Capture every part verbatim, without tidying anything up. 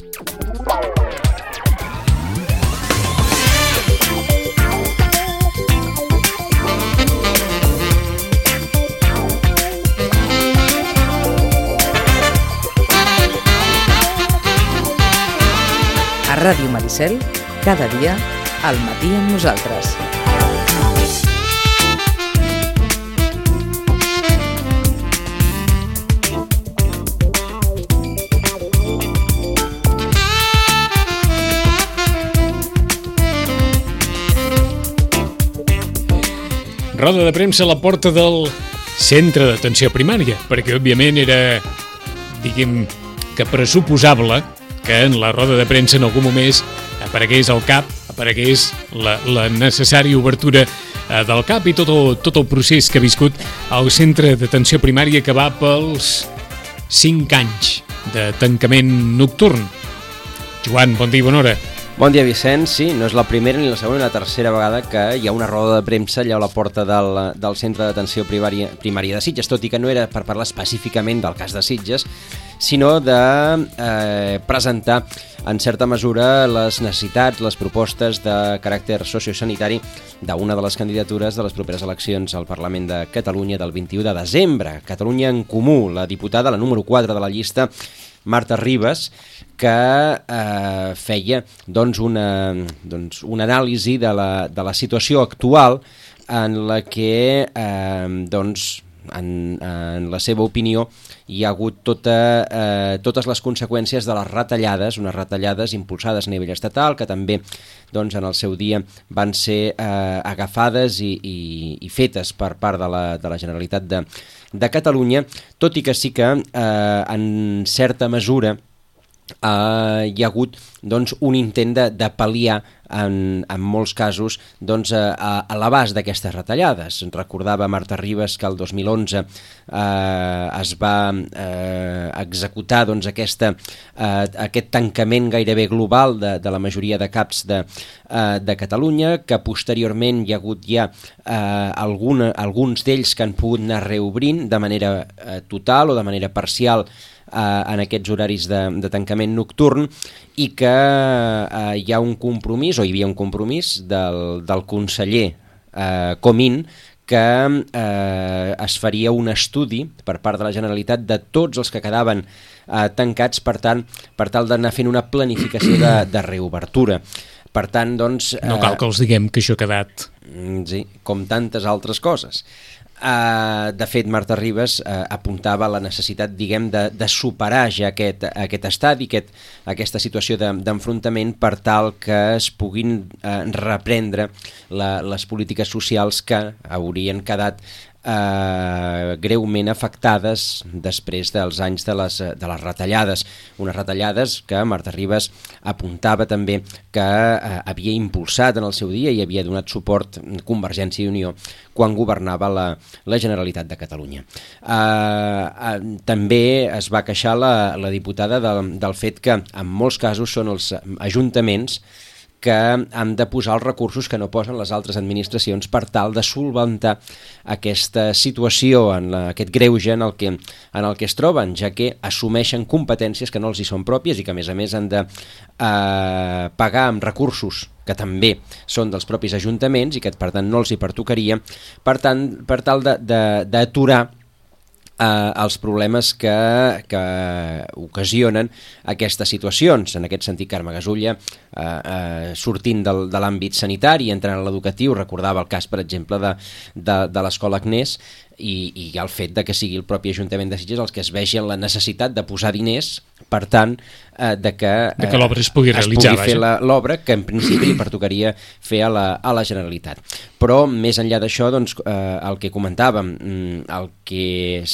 A Ràdio Maricel, cada dia, al matí amb nosaltres. Roda de premsa a la porta del centre d'atenció primària, perquè òbviament era, diguem, que pressuposable que en la roda de premsa en algun moment aparegués el CAP, aparegués la, la necessària obertura eh, del CAP i tot el, tot el procés que ha viscut el centre d'atenció primària que va pels cinc anys de tancament nocturn. Joan, bon dia i bona hora. Bon dia, Vicenç. Sí, no és la primera ni la segona ni la tercera vegada que hi ha una roda de premsa allà a la porta del, del centre d'atenció primària, primària de Sitges, tot i que no era per parlar específicament del cas de Sitges, sinó de eh, presentar en certa mesura les necessitats, les propostes de caràcter sociosanitari d'una de les candidatures de les properes eleccions al Parlament de Catalunya del vint-i-u de desembre. Catalunya en Comú, la diputada, la número quatre de la llista, Marta Ribas, que eh, feia doncs, una, doncs, una anàlisi de la, de la situació actual en la que, eh, doncs, en, en la seva opinió, hi ha hagut tota, eh, totes les conseqüències de les retallades, unes retallades impulsades a nivell estatal, que també doncs, en el seu dia van ser eh, agafades i, i, i fetes per part de la, de la Generalitat de, de Catalunya, tot i que sí que eh, en certa mesura Uh, hi ha hagut doncs, un intent de, de pal·liar en, en molts casos doncs, a, a l'abast d'aquestes retallades. Recordava Marta Ribas que el dos mil onze uh, es va uh, executar doncs, aquesta, uh, aquest tancament gairebé global de, de la majoria de CAPs de, uh, de Catalunya, que posteriorment hi ha hagut ja uh, alguna, alguns d'ells que han pogut anar reobrint de manera uh, total o de manera parcial en aquests horaris de, de tancament nocturn, i que eh, hi ha un compromís, o hi havia un compromís del, del conseller eh, Comín, que eh, es faria un estudi per part de la Generalitat de tots els que quedaven eh, tancats, per tant, per tal d'anar fent una planificació de, de reobertura. Per tant, doncs... No cal que els diguem que això ha quedat... Sí, com tantes altres coses. Uh, de fet, Marta Ribas uh, apuntava la necessitat, diguem, de, de superar ja aquest, aquest estadi, aquest, aquesta situació de, d'enfrontament, per tal que es puguin uh, reprendre la, les polítiques socials que haurien quedat Uh, greument afectades després dels anys de les, de les retallades. Unes retallades que Marta Ribas apuntava també que uh, havia impulsat en el seu dia i havia donat suport Convergència i Unió quan governava la, la Generalitat de Catalunya. Uh, uh, també es va queixar la, la diputada del, del fet que en molts casos són els ajuntaments que han de posar els recursos que no posen les altres administracions per tal de solventar aquesta situació, en la, aquest greuge en el, que, en el que es troben, ja que assumeixen competències que no els hi són pròpies i que a més a més han de eh, pagar amb recursos que també són dels propis ajuntaments i que per tant no els hi pertocaria, per tant, per tal de, de, d'aturar Uh, els problemes que, que ocasionen aquestes situacions. En aquest sentit, Carme Gasulla, uh, uh, sortint del, de l'àmbit sanitari i entrant a l'educatiu, recordava el cas, per exemple, de, de, de l'escola Agnès, i, i el fet de que sigui el propi Ajuntament de Sitges els que es vegi en la necessitat de posar diners, per tant, eh, de que, eh, de que l'obra es pugui realitzar, es pugui fer la, l'obra que en principi li pertocaria fer a la, a la Generalitat. Però més enllà d'això, doncs, eh, el que comentàvem, el que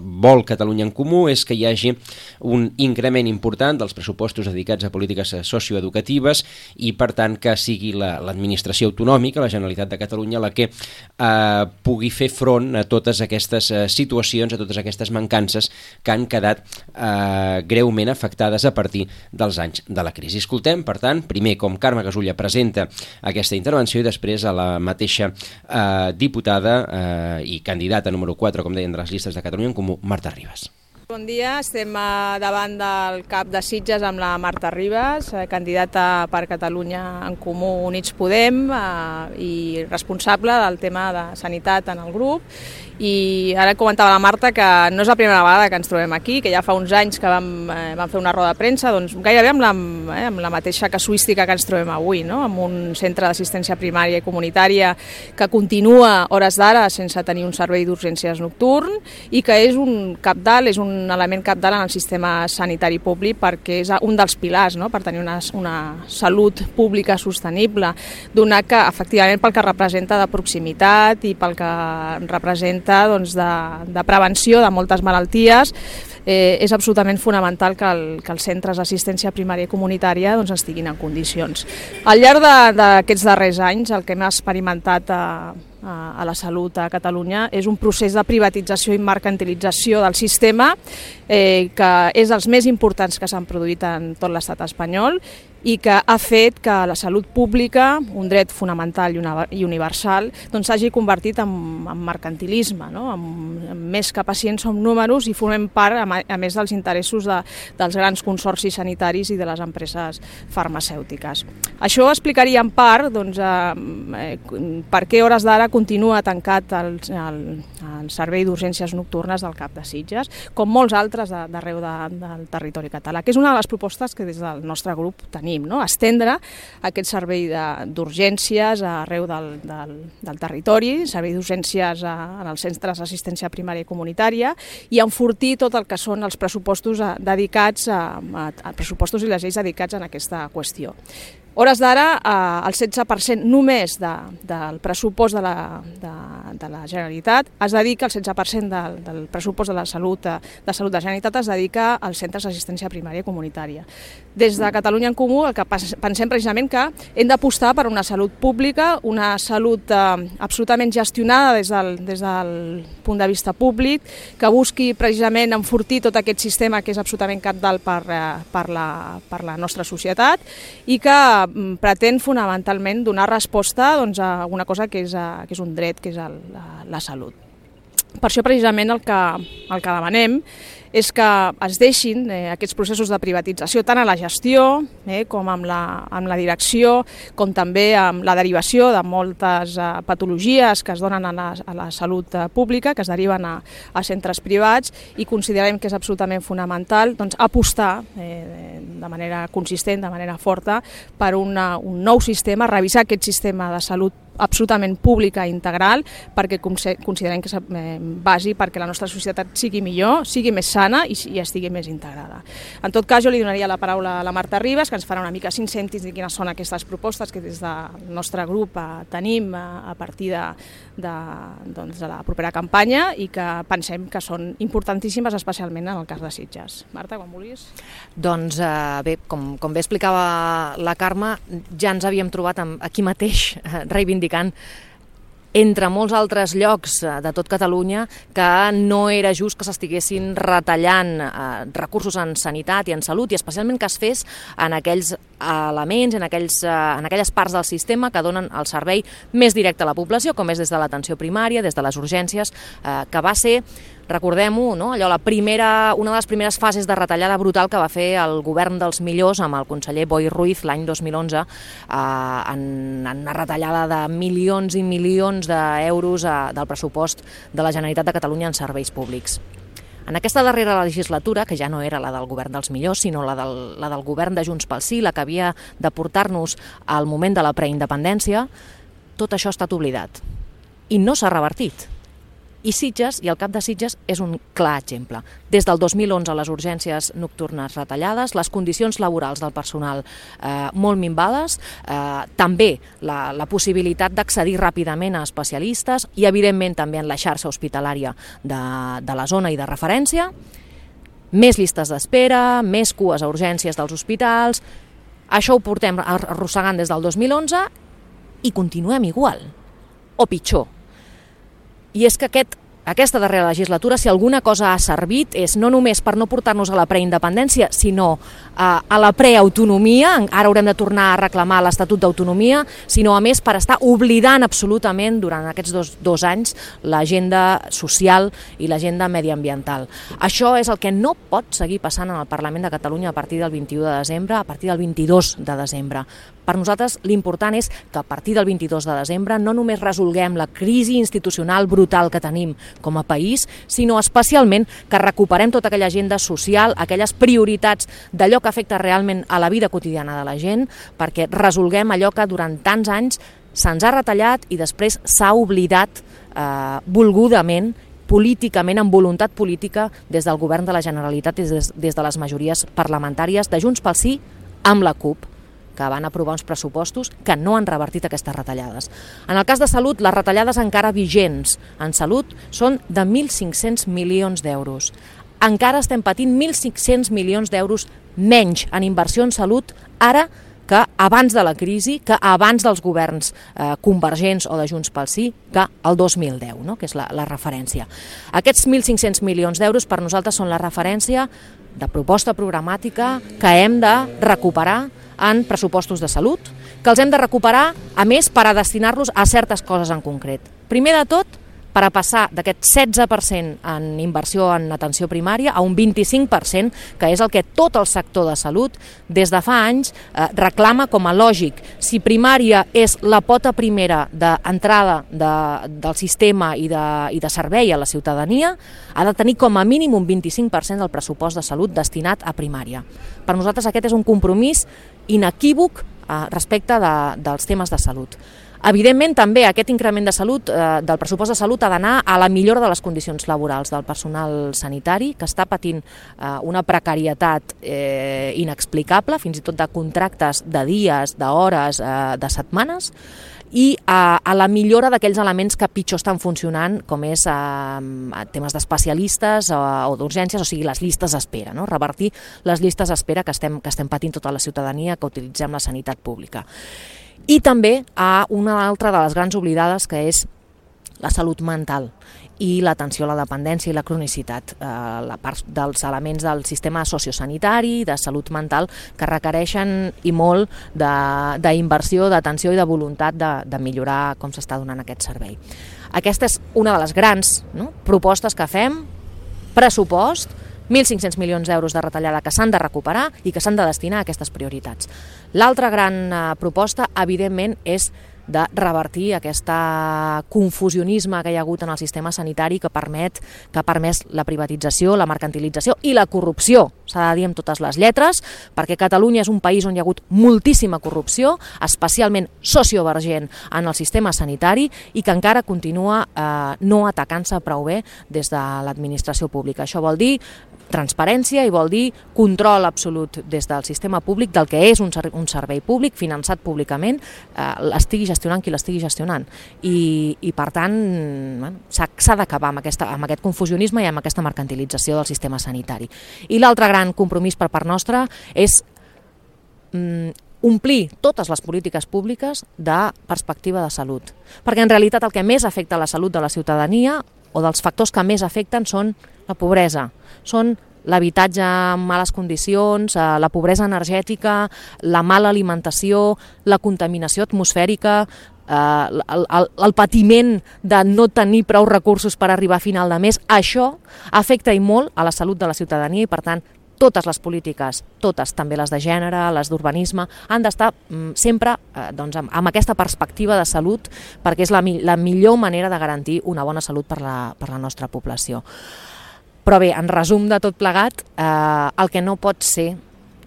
vol Catalunya en Comú és que hi hagi un increment important dels pressupostos dedicats a polítiques socioeducatives i, per tant, que sigui la, l'administració autonòmica, la Generalitat de Catalunya, la que eh, pugui fer front a totes aquestes eh, situacions, a totes aquestes mancances que han quedat eh, greument afectades a partir dels anys de la crisi. Escoltem, per tant, primer com Carme Gasulla presenta aquesta intervenció i després a la mateixa eh, diputada eh, i candidata número quatre, com deien, de les llistes de Catalunya en Comú, Marta Ribas. Bon dia, estem davant del cap de Sitges amb la Marta Ribas, candidata per Catalunya en Comú Units Podem i responsable del tema de sanitat en el grup. I ara comentava la Marta que no és la primera vegada que ens trobem aquí, que ja fa uns anys que vam, eh, vam fer una roda de premsa, doncs gairebé amb la, eh, amb la mateixa casuística que ens trobem avui, no? Amb un centre d'assistència primària i comunitària que continua hores d'ara sense tenir un servei d'urgències nocturn i que és un cabdal, és un element cabdal en el sistema sanitari públic perquè és un dels pilars, no? Per tenir una, una salut pública sostenible, donat que efectivament pel que representa de proximitat i pel que representa doncs, de, de prevenció de moltes malalties, eh, és absolutament fonamental que, el, que els centres d'assistència primària i comunitària doncs, estiguin en condicions. Al llarg d'aquests darrers anys, el que hem experimentat a, a, a la salut a Catalunya és un procés de privatització i mercantilització del sistema eh, que és dels més importants que s'han produït en tot l'estat espanyol i que ha fet que la salut pública, un dret fonamental i universal, doncs s'hagi convertit en, en mercantilisme, no? en, en més que pacients som números i formem part, a, a més dels interessos de, dels grans consorcis sanitaris i de les empreses farmacèutiques. Això explicaria en part doncs, eh, per què hores d'ara continua tancat el, el, el servei d'urgències nocturnes del cap de Sitges, com molts altres d'arreu de, del territori català, que és una de les propostes que des del nostre grup tenim. No? Estendre aquest servei d'urgències arreu del, del, del territori, servei d'urgències en els centres d'assistència primària i comunitària i enfortir tot el que són els pressupostos dedicats a, a, a pressupostos i les lleis dedicats a aquesta qüestió. Hores d'ara, eh, el setze per cent només de, del pressupost de la, de, de la Generalitat es dedica, el setze per cent del, del pressupost de la salut de salut de la Generalitat es dedica als centres d'assistència primària i comunitària. Des de Catalunya en Comú el que pensem precisament que hem d'apostar per una salut pública, una salut eh, absolutament gestionada des del, des del punt de vista públic, que busqui precisament enfortir tot aquest sistema que és absolutament cabdal per, eh, per, la, per la nostra societat i que pretén fonamentalment donar resposta doncs, a una cosa que és, a, que és un dret, que és el, la, la salut. Per això precisament el que, el que demanem és que es deixin eh, aquests processos de privatització tant a la gestió eh, com amb la, amb la direcció, com també amb la derivació de moltes eh, patologies que es donen a la, a la salut eh, pública, que es deriven a, a centres privats i considerem que és absolutament fonamental doncs, apostar eh, de manera consistent, de manera forta, per una, un nou sistema, revisar aquest sistema de salut absolutament pública i integral perquè considerem que és bàsic perquè la nostra societat sigui millor, sigui més sana i, i estigui més integrada. En tot cas, jo li donaria la paraula a la Marta Ribas, que ens farà una mica cinc cèntims de quines són aquestes propostes que des del nostre grup eh, tenim eh, a partir de, de, doncs, de la propera campanya i que pensem que són importantíssimes, especialment en el cas de Sitges. Marta, quan vulguis. Doncs eh, bé, com, com bé explicava la Carme, ja ens havíem trobat amb, aquí mateix eh, reivindicant entre molts altres llocs de tot Catalunya que no era just que s'estiguessin retallant eh, recursos en sanitat i en salut i especialment que es fes en aquells elements, en, aquells, eh, en aquelles parts del sistema que donen el servei més directe a la població, com és des de l'atenció primària, des de les urgències, eh, que va ser, recordem-ho, no? Allò, la primera, una de les primeres fases de retallada brutal que va fer el govern dels millors amb el conseller Boi Ruiz l'any dos mil onze eh, en, en una retallada de milions i milions d'euros eh, del pressupost de la Generalitat de Catalunya en serveis públics. En aquesta darrera legislatura, que ja no era la del govern dels millors, sinó la del, la del govern de Junts pel Sí, la que havia de portar-nos al moment de la preindependència, tot això ha estat oblidat. I no s'ha revertit. I Sitges, i el cap de Sitges, és un clar exemple. Des del dos mil onze les urgències nocturnes retallades, les condicions laborals del personal eh, molt minvades, eh, també la, la possibilitat d'accedir ràpidament a especialistes i, evidentment, també en la xarxa hospitalària de, de la zona i de referència, més llistes d'espera, més cues a urgències dels hospitals. Això ho portem arrossegant des del dos mil onze i continuem igual, o pitjor. I és que aquest, aquesta darrera legislatura, si alguna cosa ha servit, és no només per no portar-nos a la preindependència, sinó a la preautonomia, ara haurem de tornar a reclamar l'Estatut d'Autonomia, sinó a més per estar oblidant absolutament durant aquests dos, dos anys l'agenda social i l'agenda mediambiental. Això és el que no pot seguir passant en el Parlament de Catalunya a partir del vint-i-u de desembre, a partir del vint-i-dos de desembre. Per nosaltres l'important és que a partir del vint-i-dos de desembre no només resolguem la crisi institucional brutal que tenim com a país, sinó especialment que recuperem tota aquella agenda social, aquelles prioritats d'allò que afecta realment a la vida quotidiana de la gent, perquè resolguem allò que durant tants anys se'ns ha retallat i després s'ha oblidat eh, volgudament, políticament, amb voluntat política, des del govern de la Generalitat, des, des de les majories parlamentàries de Junts pel Sí amb la CUP, que van aprovar uns pressupostos que no han revertit aquestes retallades. En el cas de salut, les retallades encara vigents en salut són de mil cinc-cents milions d'euros. Encara estem patint mil cinc-cents milions d'euros menys en inversió en salut ara que abans de la crisi, que abans dels governs eh, convergents o de Junts pel Sí, que el dos mil deu, no? Que és la, la referència. Aquests mil cinc-cents milions d'euros per nosaltres són la referència de proposta programàtica que hem de recuperar en pressupostos de salut, que els hem de recuperar, a més, per a destinar-los a certes coses en concret. Primer de tot, per a passar d'aquest setze per cent en inversió en atenció primària a un vint-i-cinc per cent, que és el que tot el sector de salut des de fa anys eh, reclama com a lògic. Si primària és la pota primera d'entrada de, del sistema i de, i de servei a la ciutadania, ha de tenir com a mínim un vint-i-cinc per cent del pressupost de salut destinat a primària. Per nosaltres aquest és un compromís inequívoc eh, respecte de, dels temes de salut. Evidentment, també aquest increment de salut, eh, del pressupost de salut ha d'anar a la millora de les condicions laborals del personal sanitari, que està patint eh, una precarietat eh, inexplicable, fins i tot de contractes de dies, d'hores, eh, de setmanes, i a, a la millora d'aquells elements que pitjor estan funcionant, com és eh, temes d'especialistes o, o d'urgències, o sigui, les llistes d'espera, no? Revertir les llistes d'espera que estem, que estem patint tota la ciutadania que utilitzem la sanitat pública. I també a una altra de les grans oblidades, que és la salut mental i l'atenció a la dependència i la cronicitat, eh, la part dels elements del sistema sociosanitari, de salut mental, que requereixen i molt d'inversió, d'atenció i de voluntat de, de millorar com s'està donant aquest servei. Aquesta és una de les grans, no?, propostes que fem, pressupost, mil cinc-cents milions d'euros de retallada que s'han de recuperar i que s'han de destinar a aquestes prioritats. L'altra gran eh, proposta, evidentment, és de revertir aquest confusionisme que hi ha hagut en el sistema sanitari que permet que ha permès la privatització, la mercantilització i la corrupció, s'ha de dir amb totes les lletres, perquè Catalunya és un país on hi ha hagut moltíssima corrupció, especialment sociovergent en el sistema sanitari, i que encara continua eh, no atacant-se prou bé des de l'administració pública. Això vol dir transparència i vol dir control absolut des del sistema públic del que és un, ser un servei públic finançat públicament, eh, l'estigui gestionant qui l'estigui gestionant. I, i per tant, bueno, s'ha d'acabar amb, aquesta, amb aquest confusionisme i amb aquesta mercantilització del sistema sanitari. I l'altre gran compromís per part nostra és mm, omplir totes les polítiques públiques de perspectiva de salut. Perquè en realitat el que més afecta la salut de la ciutadania o dels factors que més afecten són la pobresa, són l'habitatge en males condicions, la pobresa energètica, la mala alimentació, la contaminació atmosfèrica, el, el, el patiment de no tenir prou recursos per arribar a final de mes. Això afecta i molt a la salut de la ciutadania i, per tant, totes les polítiques, totes, també les de gènere, les d'urbanisme, han d'estar mm, sempre eh, doncs, amb, amb aquesta perspectiva de salut, perquè és la, la millor manera de garantir una bona salut per la, per la nostra població. Però bé, en resum de tot plegat, eh, el que no pot ser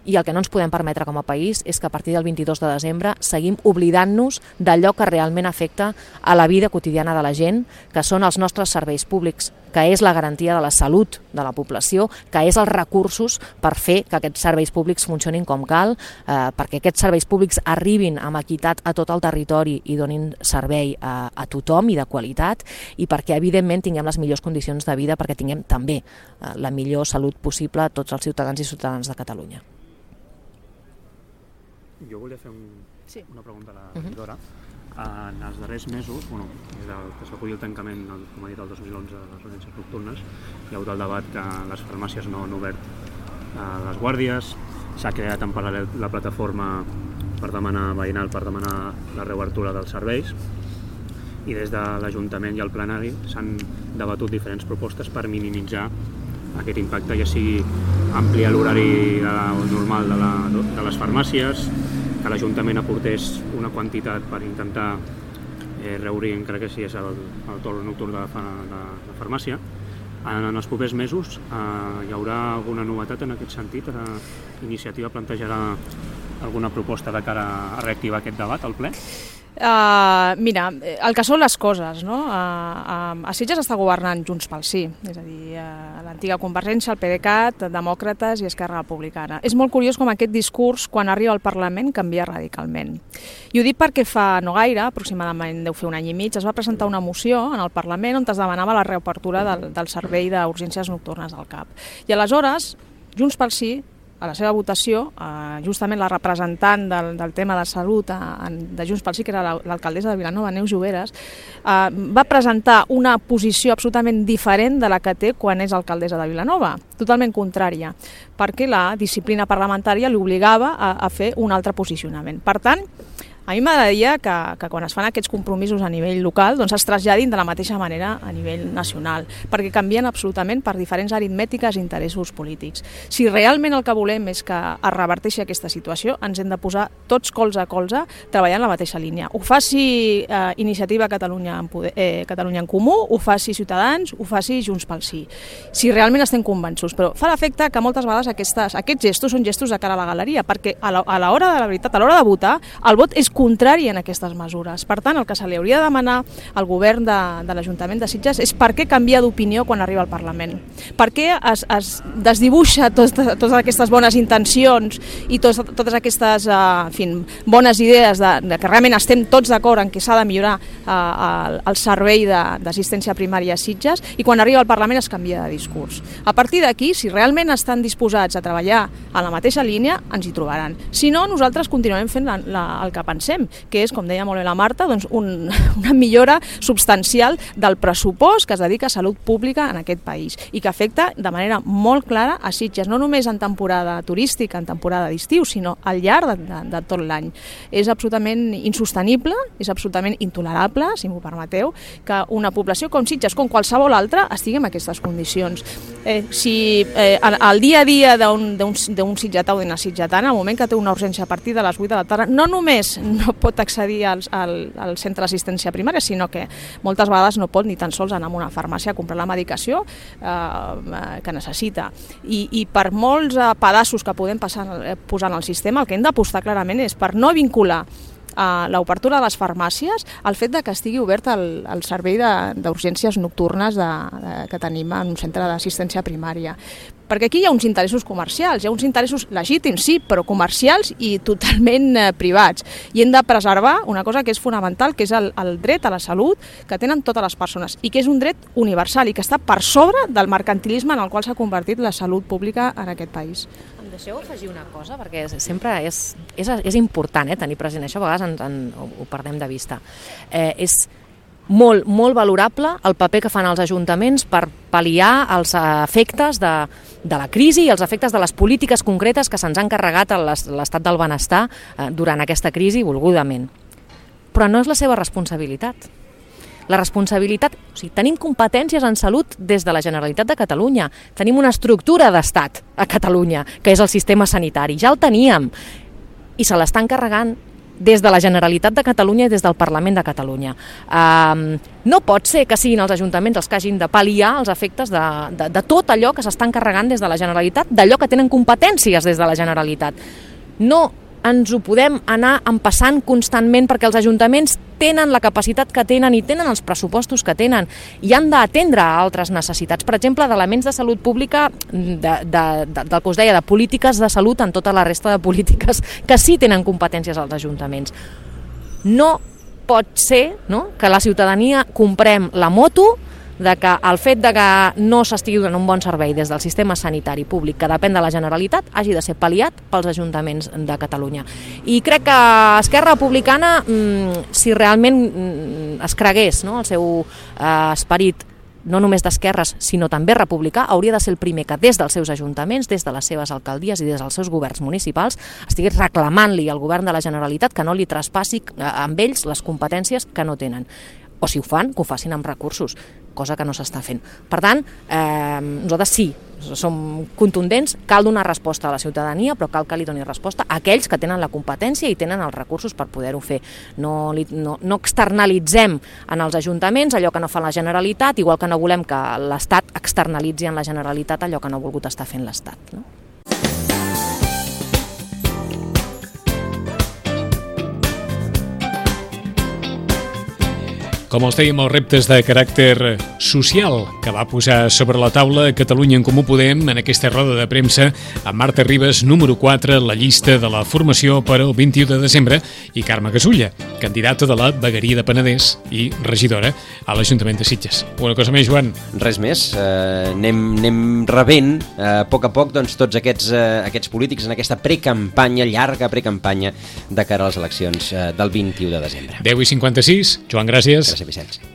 i el que no ens podem permetre com a país és que a partir del vint-i-dos de desembre seguim oblidant-nos d'allò que realment afecta a la vida quotidiana de la gent, que són els nostres serveis públics, que és la garantia de la salut de la població, que és els recursos per fer que aquests serveis públics funcionin com cal, eh, perquè aquests serveis públics arribin amb equitat a tot el territori i donin servei a, a tothom i de qualitat, i perquè evidentment tinguem les millors condicions de vida, perquè tinguem també eh, la millor salut possible a tots els ciutadans i ciutadanes de Catalunya. Jo volia fer un, sí. una pregunta a la regidora. Uh -huh. En els darrers mesos, bueno, des que s'aculli el tancament, el, com ha dit, el dos mil onze, de les urgències nocturnes, hi ha hagut el debat que les farmàcies no han obert eh, les guàrdies, s'ha creat en paral·lel la plataforma per demanar veïnal, per demanar la reobertura dels serveis, i des de l'Ajuntament i el plenari s'han debatut diferents propostes per minimitzar aquest impacte, ja sigui ampliar l'horari normal de, la, de les farmàcies, que l'Ajuntament aportés una quantitat per intentar eh, reobrir, encara que si és el, el torn nocturn de la, de la farmàcia. En els propers mesos eh, hi haurà alguna novetat en aquest sentit? Eh, Iniciativa plantejarà alguna proposta de cara a reactivar aquest debat al ple? Uh, mira, el que són les coses, no? Uh, uh, a Sitges està governant Junts pel Sí, és a dir, uh, l'antiga Convergència, el PDeCAT, Demòcrates i Esquerra Republicana. És molt curiós com aquest discurs, quan arriba al Parlament, canvia radicalment. I ho dic perquè fa no gaire, aproximadament deu fer un any i mig, es va presentar una moció en el Parlament on es demanava la reobertura del, del servei d'urgències nocturnes del C A P. I aleshores, Junts pel Sí, a la seva votació, eh, justament la representant del, del tema de salut eh, de Junts pel Sí, que era l'alcaldessa de Vilanova, Neus Lloberes, eh, va presentar una posició absolutament diferent de la que té quan és alcaldessa de Vilanova, totalment contrària, perquè la disciplina parlamentària l'obligava a, a fer un altre posicionament. Per tant, a mi m'agradaria que, que quan es fan aquests compromisos a nivell local doncs es traslladin de la mateixa manera a nivell nacional, perquè canvien absolutament per diferents aritmètiques i interessos polítics. Si realment el que volem és que es reverteixi aquesta situació, ens hem de posar tots colze a colze treballant en la mateixa línia. Ho faci eh, Iniciativa Catalunya en, Poder, eh, Catalunya en Comú, ho faci Ciutadans, ho faci Junts pel Sí. Si realment estem convençuts, però fa l'efecte que moltes vegades aquestes, aquests gestos són gestos de cara a la galeria, perquè a l'hora de la veritat, a l'hora de votar, el vot és contrari en aquestes mesures. Per tant, el que se li hauria de demanar al govern de, de l'Ajuntament de Sitges és per què canvia d'opinió quan arriba al Parlament. Per què es, es desdibuixa tot, totes aquestes bones intencions i tos, totes aquestes eh, en fi, bones idees de, de que realment estem tots d'acord en que s'ha de millorar eh, el, el servei d'assistència primària a Sitges, i quan arriba al Parlament es canvia de discurs. A partir d'aquí, si realment estan disposats a treballar en la mateixa línia, ens hi trobaran. Si no, nosaltres continuem fent la, la, el que pensem, que és, com deia molt bé la Marta, doncs un, una millora substancial del pressupost que es dedica a salut pública en aquest país i que afecta de manera molt clara a Sitges, no només en temporada turística, en temporada d'estiu, sinó al llarg de, de, de tot l'any. És absolutament insostenible, és absolutament intolerable, si m'ho permeteu, que una població com Sitges, com qualsevol altra, estigui en aquestes condicions. Eh, si eh, el dia a dia d'un sitgetà o d'una sitgetana, al moment que té una urgència a partir de les vuit de la tarda, no només no pot accedir al, al, al centre d'assistència primària, sinó que moltes vegades no pot ni tan sols anar a una farmàcia a comprar la medicació eh, que necessita. I, i per molts eh, pedaços que podem passar, eh, posar en el sistema, el que hem d'apostar clarament és per no vincular a l'obertura de les farmàcies al fet de que estigui obert el, el servei d'urgències nocturnes de, de, que tenim en un centre d'assistència primària. Perquè aquí hi ha uns interessos comercials, hi ha uns interessos legítims, sí, però comercials i totalment eh, privats. I hem de preservar una cosa que és fonamental, que és el, el dret a la salut que tenen totes les persones i que és un dret universal i que està per sobre del mercantilisme en el qual s'ha convertit la salut pública en aquest país. Em deixeu afegir una cosa, perquè sempre és, és, és important eh, tenir present això, a vegades en, en, ho perdem de vista. Eh, és molt, molt valorable el paper que fan els ajuntaments per pal·liar els efectes de, de la crisi i els efectes de les polítiques concretes que se'ns han carregat a l'estat del benestar eh, durant aquesta crisi volgudament. Però no és la seva responsabilitat. La responsabilitat, o sigui, tenim competències en salut des de la Generalitat de Catalunya, tenim una estructura d'estat a Catalunya, que és el sistema sanitari, ja el teníem, i se l'estan carregant des de la Generalitat de Catalunya i des del Parlament de Catalunya. Um, no pot ser que siguin els ajuntaments els que hagin de pal·liar els efectes de, de, de tot allò que s'estan carregant des de la Generalitat, d'allò que tenen competències des de la Generalitat. No ens ho podem anar empassant constantment perquè els ajuntaments tenen la capacitat que tenen i tenen els pressupostos que tenen i han d'atendre a altres necessitats, per exemple, d'elements de salut pública, de, de, de, del que us deia, de polítiques de salut en tota la resta de polítiques que sí tenen competències als ajuntaments. No pot ser, no?, que la ciutadania comprem la moto de que el fet de que no s'estigui donant un bon servei des del sistema sanitari públic que depèn de la Generalitat hagi de ser pal·liat pels ajuntaments de Catalunya. I crec que Esquerra Republicana, si realment es cregués, no, el seu eh, esperit no només d'esquerres, sinó també republicà, hauria de ser el primer que des dels seus ajuntaments, des de les seves alcaldies i des dels seus governs municipals, estigués reclamant-li al govern de la Generalitat que no li traspassi amb ells les competències que no tenen. O si ho fan, que ho facin amb recursos, cosa que no s'està fent. Per tant, eh, nosaltres sí, som contundents, cal donar resposta a la ciutadania, però cal que li doni resposta a aquells que tenen la competència i tenen els recursos per poder-ho fer. No, li, no, no externalitzem en els ajuntaments allò que no fa la Generalitat, igual que no volem que l'Estat externalitzi en la Generalitat allò que no ha volgut estar fent l'Estat, no? Com els dèiem, els reptes de caràcter social que va posar sobre la taula Catalunya en Comú Podem en aquesta roda de premsa amb Marta Ribas, número quatre, la llista de la formació per al vint-i-u de desembre, i Carme Gasulla, candidata de la Vegueria de Penedès i regidora a l'Ajuntament de Sitges. Una cosa més, Joan? Res més. Eh, anem, anem rebent eh, a poc a poc doncs, tots aquests, eh, aquests polítics en aquesta precampanya, llarga precampanya de cara a les eleccions eh, del vint-i-u de desembre. deu i cinquanta-sis. Joan, gràcies. Gràcies, Vicenç.